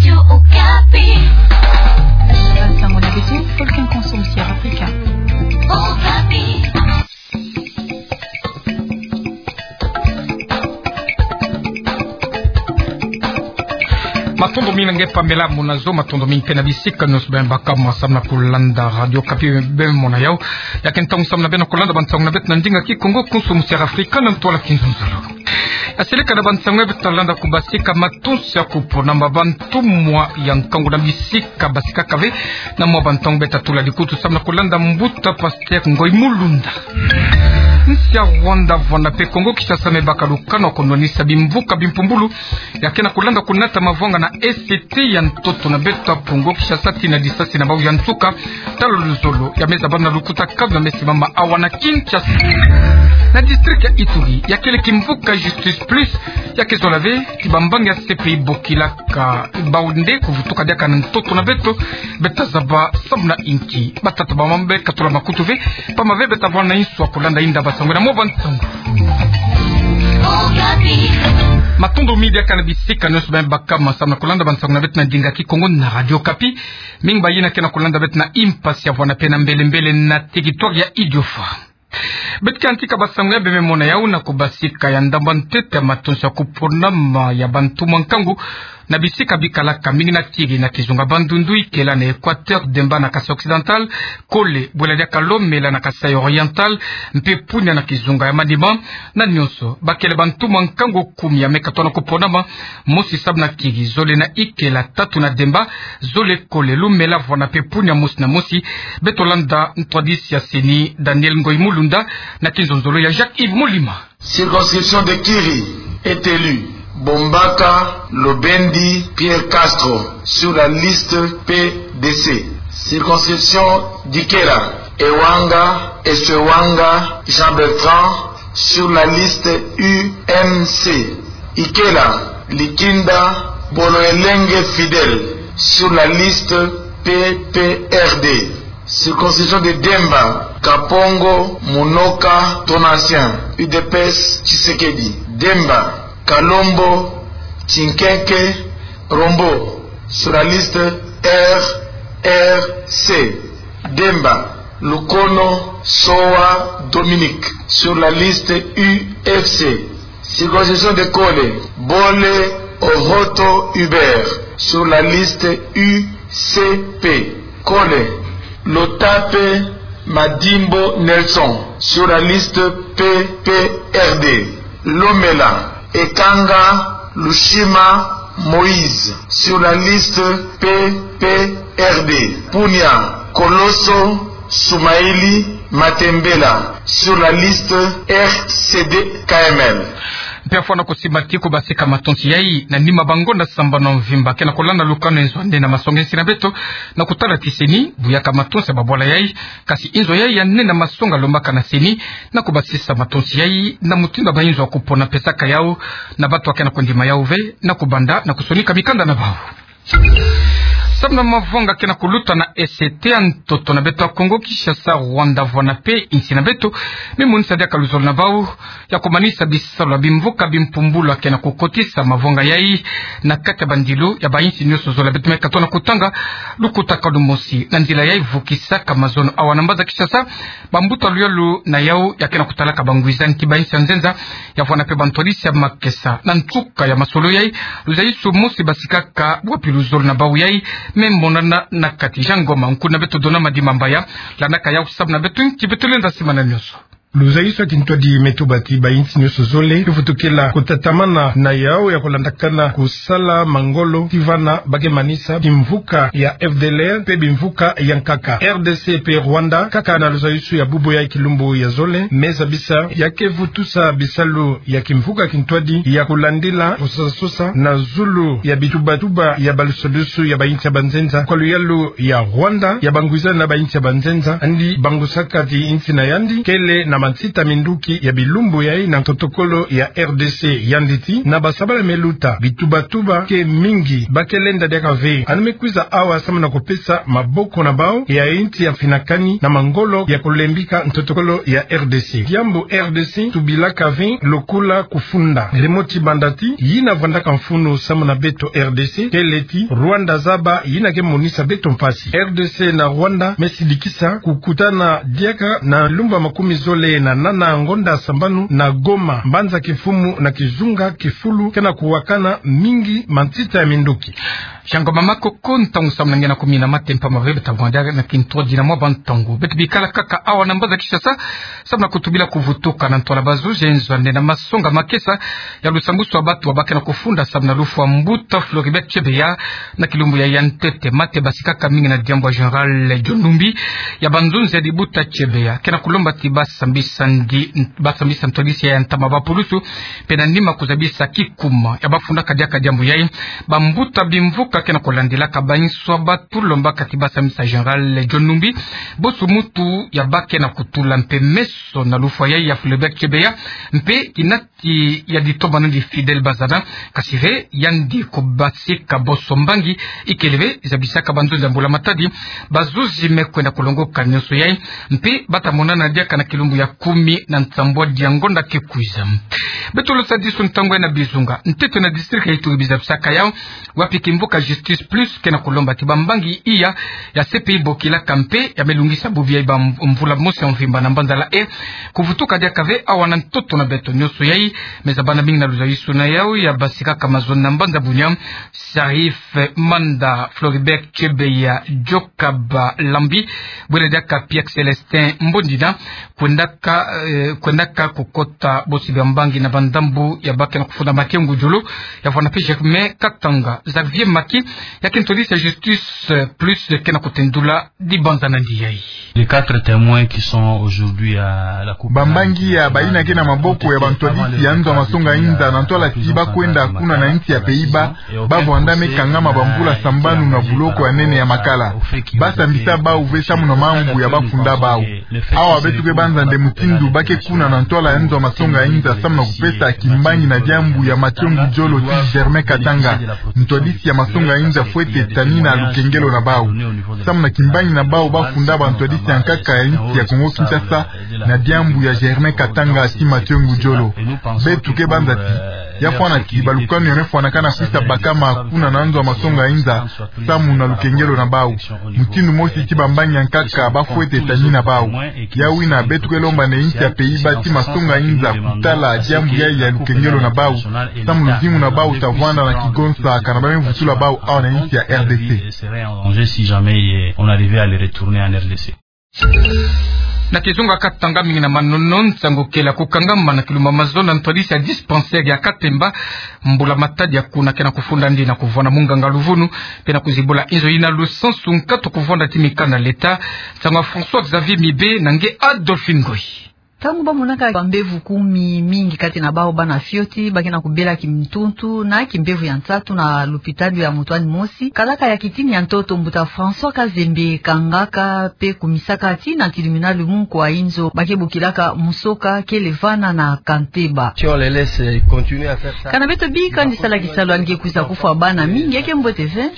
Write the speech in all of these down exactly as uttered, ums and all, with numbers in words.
Radio Okapi. Bansango na beto, Volcan Consort Sierra Africa. Okapi. Matondo mingi na nge pambela muna zo, matondo mingi mpe na bisika nyonso beno baka mo samu na kulanda Radio Okapi beno mona yau. Ya ke ntangu samu na beno kulanda bansango na beto na ndinga Kikongo, Consort Sierra Africa, na ntwala Kinzonzolo. Ya seleka na bansango ya beto, landa kubasika matonsi ya kupona ma bantumwa ya nkangu na bisika basikaka ve. Na mwa bantango beto tatula likutu samu na kulanda mbuta Pasteur Ngoyi Mulunda. Nsi ya Rwanda, Rwanda mpe Kongo Kinshasa me baka lukano ya kunwanisa bimvuka bimpumbulu ya ke na kulanda kunata mavwanga na E C T ya ntoto na beto ya Kongo Kinshasa, tii na disasi na bau ya nsuka. Talo luzolo ya me zabana na lukuta kabi ya me simama awa na Kinshasa. Na district ya Ituri, ya kele kimvuka Justice Plus ya ke zola ve ti bambangi ya C P I bokilaka bau nde kuvutuka diaka na ntoto na beto. Beto tazaba samu na inki. Batata bamama, beno katula makutu ve, pamba ve beto tavwanda na insu ya kulanda inda bansango na mwa bansango. Matondo mingi diaka na bisika nyonso beno baka mo samu na kulanda bansango na beto na ndinga Kikongo na Radio Okapi. Mingi bayina ke na kulanda beto na impasi ya Rwanda mpe na mbele mbele na territoire ya Idiofa. Beto ke yantika bansango ya beno me mona yau na kubasika ya ndambu ya ntete ya matonsi ya kupona ma ya bantumwa nkangu na bisika bikalaka mingi na tiri na kizunga Bandundu, Ikela na Equateur, Demba na Kasaï Occidental, Kole, bwela diaka Lomela na Kasaï Oriental, mpe Punia na kizunga ya Maniema. Na nyonso bakele bantumwa nkangu kumi ya me katuka na kupona ma, mosi samu na kiri, zole na Ikela, tatu na Demba, zole Kole, Lomela, Rwanda mpe Punia, mosi na mosi. Beto landa ntwadisi ya CENI Daniel Ngoyi Mulunda na kinzonzolo ya Jacques Yves Mulima. Circonscription de Kiri est élu Bombaka Lobendi Pierre Castro sur la liste P D C. Circonscription d'Ikela, Ewanga Esewanga Jean Bertrand sur la liste U M C. Ikela, Likinda Boloelenge Fidèle sur la liste P P R D. Circonscription de Demba, Kapongo Munoka Donatien, U D P S Tshisekedi. Demba, Kalombo Tshinkenke Rombo sur la liste R R C. Demba, Lukono Sowa Dominique sur la liste U F C. Circonscription de Kole, Bole Ohoto Hubert sur la liste U C P. Kole, Lotape Madimbo Nelson sur la liste P P R D. Lomela, Ekanga Lushima Moïse sur la liste P P R D. Punia, Koloso Soumaïli Matembela sur la liste R C D K M L. Mpe afwana kusimba ti kubasika matonsi yai na nima bangonda sambanu mvimba ke na kulanda lukano ya nzo ya nde na masonga insi na beto na kutala ti CENI buyaka matonsi ya babwala yai, kasi inzo yai ya nde na masonga lombaka na CENI na kubasisa matonsi yai na mutindu ya bainzo ya kupona pesaka yau na bantu ya ke na kundima yau ve, na kubanda na kusonika mikanda na bau. Samu na mavanga ke na kuluta na E C T ya ntoto na beto ya Kongo Kinshasa, Rwanda, Rwanda mpe insi na beto, me monisa diaka luzolo na bau ya kumanisa bisalu ya bimvuka bimpumbulu ya ke na kukotisa mavanga yai na kati ya bandilu ya bainsi nyonso zole. Beto me katuka na kutanga lukutakanu mosi na nzila yai vukisaka mazono awa na mbanza Kinshasa. Bambuta luyalu na yau ya ke na kutalaka bangwizani ti bainsi ya nzenza ya vwanda mpe bantwadisi ya makesa. Na nsuka ya masolo yai, luzaisu mosi basikaka bwapi luzolo na bau yai me monana na kati. Jean Ngoma, nkuna beto Dona Madimba Mbaya, landaka yau samu na beto nki beto lenda simana nyonso. Luzaisu ya kintwadi me tuba ti bainsi nyonso zole ke vutukila kutatamana na yau ya kulandakana ku sala mangolo ti vana ba ke manisa bimvuka ya F D L R mpe bimvuka ya nkaka. R D C mpe Rwanda, kaka na luzaisu ya bubu ya kilumbu ya zole, me zabisa ya ke vutusa bisalu ya kimvuka kintwadi ya kulandila kusosasosa na zulu ya bitubatuba ya balusadusu ya bainsi ya banzenza, kwa luyalu ya Rwanda, ya bangwizani na bainsi ya banzenza, andi bangusaka ti insi na yandi kele na Mansita minduki ya bilumbu yai na ntotokolo ya R D C yandi ti na basabala me luta, bitubatuba ke mingi, ba ke lenda diaka ve. Anu me kwiza awa samu na kupesa maboko na bau ya inti ya finakani na mangolo ya kulembika ntotokolo ya R D C. Diambu R D C tubilaka ve lokola kufunda. Rimoti banda ti, yina vandaka mfunu samu na beto R D C, kele ti Rwanda zaba yina ke monisa beto mpasi. R D C na Rwanda me sidikisa kukutana diaka na lumbu ya makumi zole na nana ngonda sambanu na Goma, mbanza kimfumu na kizunga kifulu ke na kuwakana mingi mansita ya minduki. Shangoma makoko, ntangu samu na nge na kumi na mate mpamba ve, beta vwanda na kintwadi na mwa bantangu. Beto bikala kaka awa na mbanza Kinshasa, samu na kutubila kuvutuka na ntwala bazuzi ya inzo ane na masonga makesa ya lusambusu wa batu wa ba ke na kufunda samu na lufwa mbuta Floribert Chebeya na kilumbu ya ya ntete. Mate basikaka mingi na diambu ya Général John Numbi ya banzonzi ya dibuta Chebeya, ke na kulomba ti basambisa ndi, basambisa ntwadisi ya ntama ba pulusu, mpe na nima kuzabisa kikuma ya bafundaka diaka diambu yai. Bambuta bimvuka ke na kulandilaka bainso ya batu, lombaka ti basambisa Général John Numbi boso muntu ya ba ke na kutula mpe meso na lufwa yai ya Floribert Chebeya, mpe kinati ya ditombano di Fidèle Bazana. Kasi ve yandi kubasika boso mbangi, ikele ve zabisaka banzonzi ya mbula matadi. Bazuzi me kwenda kulongoka nyonso yai, mpe bata monana diaka na kilumbu ya kumi na nsambwadi ya ngonda ke kwiza. Beto losadisu ntangu yai na bizunga ntete na district ya Ituri bizabisaka yau, wapi kimvuka Justice Plus ke na kulomba ti bambangi iya ya C P I bokilaka mpe ya me lungisa bubu yai bamvula mosi ya mvimba na mbanza La Haye kuvutuka diaka ve awa na ntoto na beto. Nyonso yai me zabana mingi na luzabisuna yau ya basikaka mazono na mbanza Bunia. Sharif Manda, Floribert Chebeya, Jokab Lambi, bwela diaka Pierre Célestin Mbondina, kwendaka, eh, kwendaka kukota bosi bambangi na bandambu ya ba ke na kufunda Mathieu Ngudjolo, ya vwanda mpe Germain Katanga. Xavier Maki, ya kintwadisi ya Justice Plus, ke na kutendula dibanza na ndi yai. Les quatre témoins qui sont aujourd'hui à la Cour pénale. Bambangi ya bayina ke na maboko ya bantwadisi ya nzo ya masonga inza na ntwala ti ba kwenda kuna na insi ya Pays-Bas, ba vwanda me kangama bamvula sambanu na buloko ya nene ya Makala. Ba sambisa bau ve samu na mambu ya ba funda bau. Awa beto ke banza nde mutindu ba ke kuna na ntwala ya nzo ya masonga inza samu na kupesa kimbangi na diambu ya Mathieu Ngudjolo ti Germain Katanga, ntwadisi ya masonga inza, fwete tanina lukengelo na bau. Samu na kimbangi na bau ba funda bantwadisi ya nkaka ya insi ya Kongo Kinshasa na diambu ya Germain Katanga ti Mathieu Ngudjolo. Beto ke banza ti ya fwana ti balukanu ya me fwanakana kwisa bakama kuna na nzo ya masonga inza samu na lukengelo na bau. Mutindu mosi ti bambangi ya nkaka ba fwete tanina bau. Ya wina beto ke lomba nde insi ya Pays-Bas ti masonga inza kutala diambu yai ya lukengelo na bau, samu luzingu na bau ta vwanda na kigonsa kana ba me vutula bau awa na insi ya R D C. Serait en danger si jamais, euh, on arrivait à les retourner en R D C. Na kizunga Katanga, mingi na manono nsangu kele ya kukangama na kilumbu ya mazono na ntwadisi ya dispensaire ya Katemba, mbula matadi ya kuna ke na kufunda ndi na kuvwanda munganga luvunu, mpe na kuzibula inzo yina lusansu nkatu kuvwanda ti mikanda ya leta. Nsangu ya François Xavier Mibe na nge Adolphine Ngoyi. Ntangu ba monaka bambevo kumi, mingi kati na bau bana fioti, ba ke na kubela kintuntu na kimbevo ya nsatu na lopitalo ya mutu'ani mosi. Kalaka ya kitini ya ntoto, mbuta François Kazembe kangaka mpe kumisaka ti na tribunal munku wa inzo ba ke bokilaka Musoka kele vana na Kanteba. Si on les laisse, euh, continuer à faire ça, kana beto bika ndi sala kisalu, yandi ke kwiza kufwa bana mingi, ya ke mbote ve.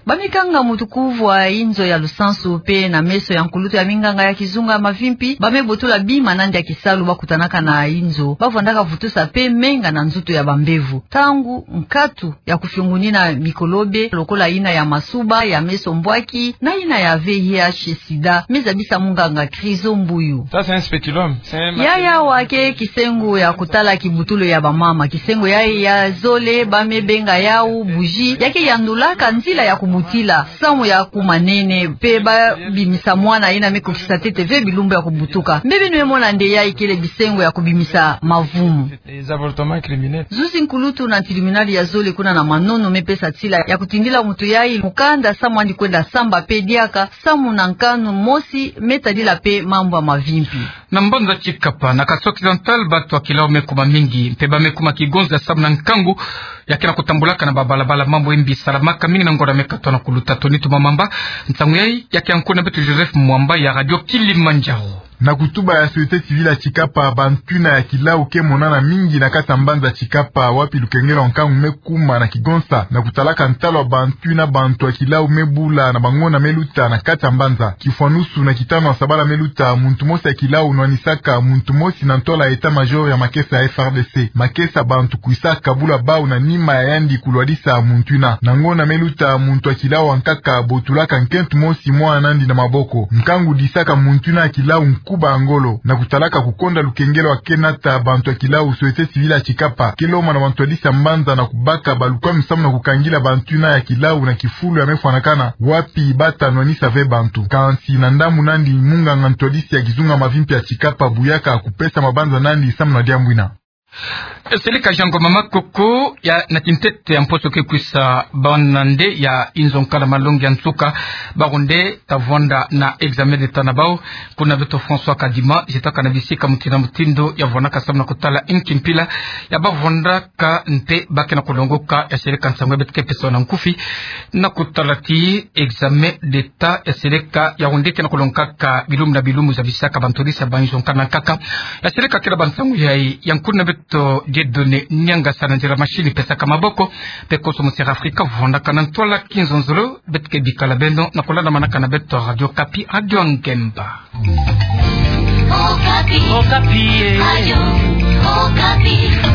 Ba me kanga mutu kuvu wa inzo ya lusansu mpe na meso ya nkulutu ya minganga ya kizunga ya mavimpi, ba me botola bima na ndia kisalu ba kutanaka na inzo, ba vwandaka vutusa mpe menga na nzutu ya bambevo. Ntangu nkatu ya kufiongunina mikolobe lokola yina ya masuba, ya meso mbwaki, na yina ya V I H sida, me zabisa munganga Chryso Mbuyu. Ça, c'est un spéculum. C'est un... Yaya wa ke kisengo ya kutala kibutulu ya bamama. Kisengo yai ya zole, ba me benga yau bougie, ya ke yandulaka nzila ya kubutila samu ya kumanene, mpe ba bimisa mwana yina me kokisa ntete ve bilumbu ya kubutuka. Mbe beno me mona nde yai kele bisengo ya kubimisa mavumu. Les avortements criminels. Zuzi nkulutu na tribunal ya zole kuna na Manono me pesa nsila ya kutindila mutu yai mukanda samu andi kwenda samba mpe diaka samu na nkanu mosi me tadila mpe mambu ya mavimpi. Na mbanza Tshikapa, na Kasaï Occidental, bato ya kilau me kuma mingi, mpe ba me kuma kigonza samu na nkangu ya ke na kutambulaka na babalabala, mambu ya mbi salamaka mingi na ngonda me katoto na kuluta. Tony Tumamamba, nsangu yayi ya ke ya nkundu na beto Joseph Mwamba ya Radio Kilimanjaro. Na kutuba ya société civile ya Tshikapa, bantu yina ya kilau ke monana mingi na kati ya mbanza Tshikapa, wapi lukengelo ya nkangu me kuma na kigonza, na kutalaka ntalo ya bantu yina bantu ya kilau me bula na bangonda me luta na kati ya mbanza. Kifwanusu, na kitanu ya sabala me luta, muntu mosi ya kilau nwanisaka muntu mosi na ntwala ya état-major ya makesa ya F R D C. Makesa, bantu kwisa kabula bau na nima ya yandi kulwadisa muntu yina. Na ngonda me luta, muntu ya kilau ankaka botulaka nkento mosi mwana nandi na maboko. Nkangu disaka muntu yina ya kilau nkuba ya ngolo. Na kutalaka kukonda lukengelo ya ke nata bantu ya kilau, société civile ya Tshikapa ke lomba na bantwadisi ya mbanza na kubaka balukwamu samu na kukangila bantu yina ya kilau na kifulu ya me fwanakana, wapi bata nwanisa ve bantu. Kansi na ndambu nandi, munganga ntwadisi ya kizunga mavimpi ya Tshikapa buyaka kupesa mabanza nandi samu na diambu yina. Seleka Jean Ngoma Makoko ya, na kintete ya mposo ke kwisa, bana nde ya inzo nkala malongi ya nsuka, bawu nde ta vwanda na examen d'État na bau. Kuna beto François Kadima, jetaka na bisika mutindu na mutindu ya vwandaka samu na kutala inki mpila ya ba vwandaka nte ba ke na kulongoka. Ya seleka nsangu ya beto ke pesa na nkufi na kutala ti examen d'État ya seleka, yawu nde ke na kulongokaka bilumbu na bilumbu za bisaka bantwadisi ya ba inzo nkala na nkaka. Ya seleka kela ba nsangu yayi, ya nkundu na beto Dieudonné Niangasa na nzila machine pesaka maboko, mpe koso Monsera Afrika vwandaka na ntwala kinzonzolo. Beto ke bikala beno na kulandamanaka na beto Radio Okapi, Radio ya Ngemba. Okapi. Okapi, eh. Radio Okapi.